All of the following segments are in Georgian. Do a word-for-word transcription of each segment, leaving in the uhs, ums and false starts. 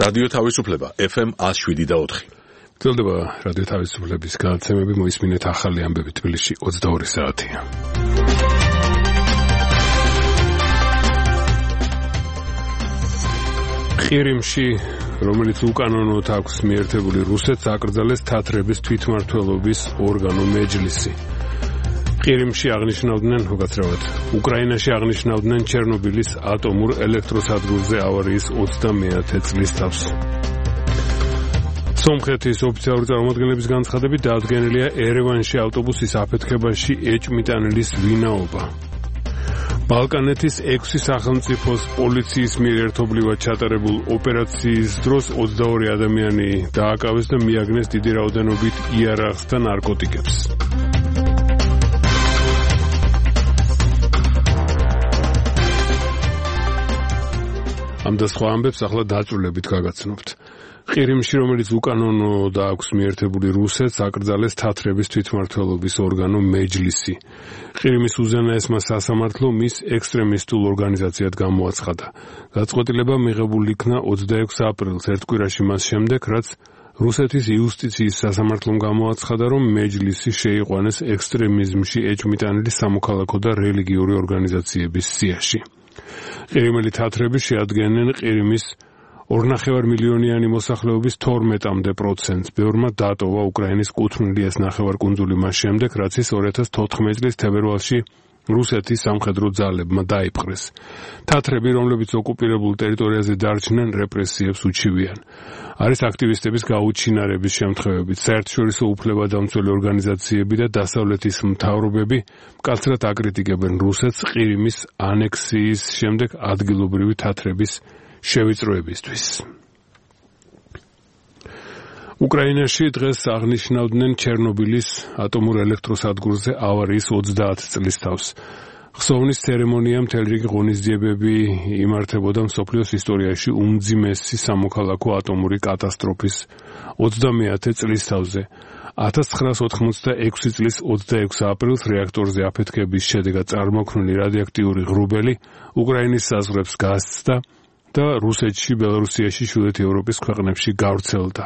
რადიო თავისუფლება F M one oh seven და four. გრძელდება რადიო თავისუფლების განაცემები, მოისმინეთ ახალი ამბები თბილისში ოცდაორი საათია. ყირიმში, რომელიც უკანონოდ აქვს მიერთებული რუსეთს, აკრძალეს თათრების თვითმმართველობის ორგანო მეჯლისი. ყირიმში აღნიშნავდნენ, უკაცრავად, უკრაინაში აღნიშნავდნენ ჩერნობილის ატომურ ელექტროსადგურზე ავარიის ოცდამეათე წლის თავს. სომხეთის ოფიციალური წარმოადგენლების განცხადებით დაადგენილია ერევანში ავტობუსის აფეთქებაში ეჭვმიტანილის ვინაობა. ბალკანეთის ექვსი სახელმწიფოს პოლიციის მიერ ერთობლივად ჩატარებულ ოპერაციის დროს ოცდაორი ადამიანი დააკავეს და მიაგნეს დიდი რაოდენობით იარაღს და ნარკოტიკებს. ამ და სხვა ამბებს ახლა დაწვრილებით გაგაცნობთ. ყირიმში, რომელიც უკანონოდ აქვს მიერთებული რუსეთს, აკრძალეს თათრების თვითმმართველობის ორგანო მეჯლისი. ყირიმის უზენაესმა სასამართლომ მის ექსტრემისტულ ორგანიზაციად გამოაცხადა. გაწყვეტილება მიღებული იქნა ოცდაექვსი აპრილს, ერთ კვირაში მას შემდეგ, რაც რუსეთის იუსტიციის სასამართლომ გამოაცხადა, რომ მეჯლისი შეიყვანეს ექსტრემიზმში ეჭვმიტანილი სამოქალაქო და რელიგიური ორგანიზაციების სიაში. ყირიმელი თათრები შეადგენენ ყირიმის ორნახევარ მილიონიანი მოსახლეობის თორმეტამდე პროცენტს. ბევრმა დატოვა უკრაინის კუთვნილი ეს ნახევარკუნძული მას შემდეგ, რაც ის ორი ათას თოთხმეტი წლის თებერვალში რუსეთის სამხედრო ძალებმა დაიპყრეს. თათრები, რომლებიც ოკუპირებულ ტერიტორიაზე დარჩნენ, რეპრესიებს უჩივიან. არის აქტივისტების გაუჩინარების შემთხვევებით, საერთაშორისო უფლებადამცველი ორგანიზაციები და დასავლეთის მთავრობები მკაცრად აკრიტიკებენ რუსეთს ყირიმის ანექსიის შემდეგ ადგილობრივი თათრების შევიწროებისთვის. უკრაინაში დღეს აღნიშნავდნენ ჩერნობილის ატომურ ელექტროსადგურზე ავარიის ოცდაათი წლის თავს. ხსოვნის ცერემონია მთელი რიგი ღონისძიებები იმართებოდა მსოფლიოს ისტორიაში უმძიმესი სამოქალაქო ატომური კატასტროფის ოცდამეათე წლის თავზე. ათას ცხრაას ოთხმოცდაექვსი წლის ოცდაექვსი აპრილს რეაქტორზე აფეთქების შედეგად წარმოქმნილი რადიოაქტიური ღრუბელი უკრაინის საზღვრებს გასცდა და რუსეთში, ბელარუსიაში, ჩრდილოეთ ევროპის ქვეყნებში გავრცელდა.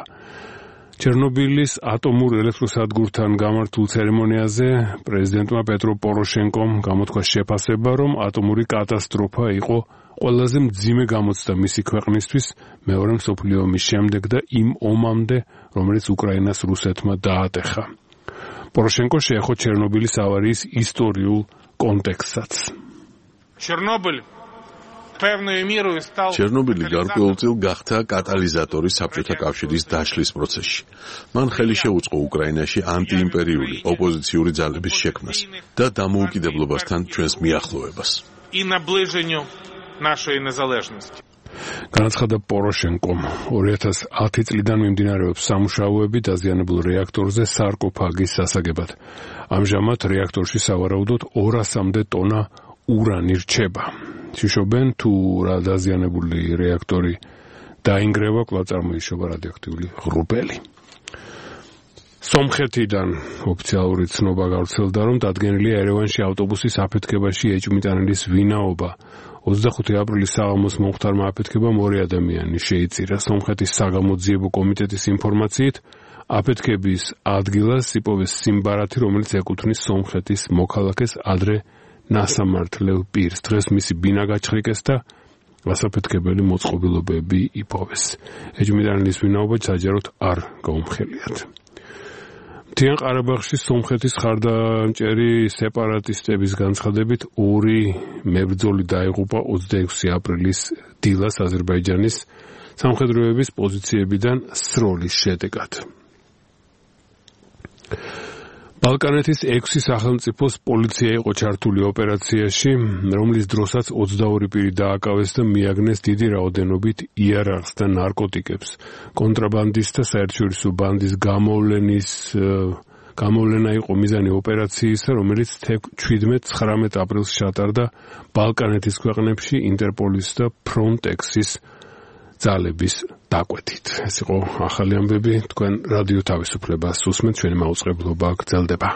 ჩერნობილის ატომურ ელექტროსადგურთან გამართულ ცერემონიაზე პრეზიდენტმა პეტრო პოროშენკომ გამოთქვა შეფასება, რომ ატომური კატასტროფა იყო ყველაზე მძიმე გამოცდა მისი ქვეყნისთვის მეორე მსოფლიო ომის შემდეგ და იმ ომამდე, რომელიც უკრაინას რუსეთმა დაატეხა. პოროშენკო შეეხო ჩერნობილის ავარიის ისტორიულ კონტექსტსაც. ჩერნობილი ჩერნობილი გარკვეულწილ გახდა კატალიზატორი საბჭოთა კავშირის დაშლის პროცესში. მან ხელი შეუწყო უკრაინაში ანტიიმპერიული ოპოზიციური ძალების შექმნას და დამოუკიდებლობასთან ჩვენს მიახლოვებას. განაცხადა პოროშენკომ. ორი ათას ათი წლიდან მიმდინარეობს სამუშაოები დაზიანებულ რეაქტორზე სარკოფაგის სასაგებად. ამჟამად რეაქტორში სავარაუდოდ ორასამდე ტონა ურანი რჩება. შიშობენ თუ რა დაზიანებული რეაქტორი დაინგრევა, კვლავ წარმოიშობა რადიოაქტიული ღრუბელი. სომხეთიდან ოფიციალური ცნობა გავრცელდა, რომ დადგენილია ერევანში ავტობუსის აფეთქებაში ეჭვმიტანილის ვინაობა. ოცდახუთი აპრილის საღამოს მომხდარმა აფეთქებამ ორი ადამიანი შეიწირა. სომხეთის საგამოძიებო კომიტეტის ინფორმაციით, აფეთქების ადგილას იპოვეს სიმბარათი, რომელიც ეკუთვნის სომხეთის მოქალაქეს ადრე ნასამართლელ პირს. დღეს მისი ბინა გაჩხრიკეს და გასაფეთქებელი მოწყობილობები იპოვეს. ეჭვმიტანილის ვინაობა საჯაროდ არ გაუმხელიათ. მთიან ყარაბაღში სომხეთის ხარდამჭერი სეპარატისტების განცხადებით ორი მებრძოლი დაიღუპა ოცდაექვსი აპრილის დილას აზერბაიჯანის სამხედროების პოზიციებიდან სროლის შედეგად. ბალკანეთის ექვსი სახელმწიფოს პოლიცია იყო ჩართული ოპერაციაში, რომლის დროსაც ოცდაორი პირი დააკავეს და მიაგნეს დიდი რაოდენობით იარაღს და ნარკოტიკებს. კონტრაბანდისტთა საერთაშორისო ბანდის გამოვლენის გამოვლენა იყო მიზანი ოპერაციისა, რომელიც შვიდმეტ ცხრამეტ აპრილს ჩატარდა ბალკანეთის ქვეყნებში ინტერპოლის და ფრონტექსის ძალების დაკვეთით. ეს იყო ახალი ამბები, თქვენ რადიო თავისუფლებას უსმენთ, ჩვენი მაუწყებლობა გრძელდება.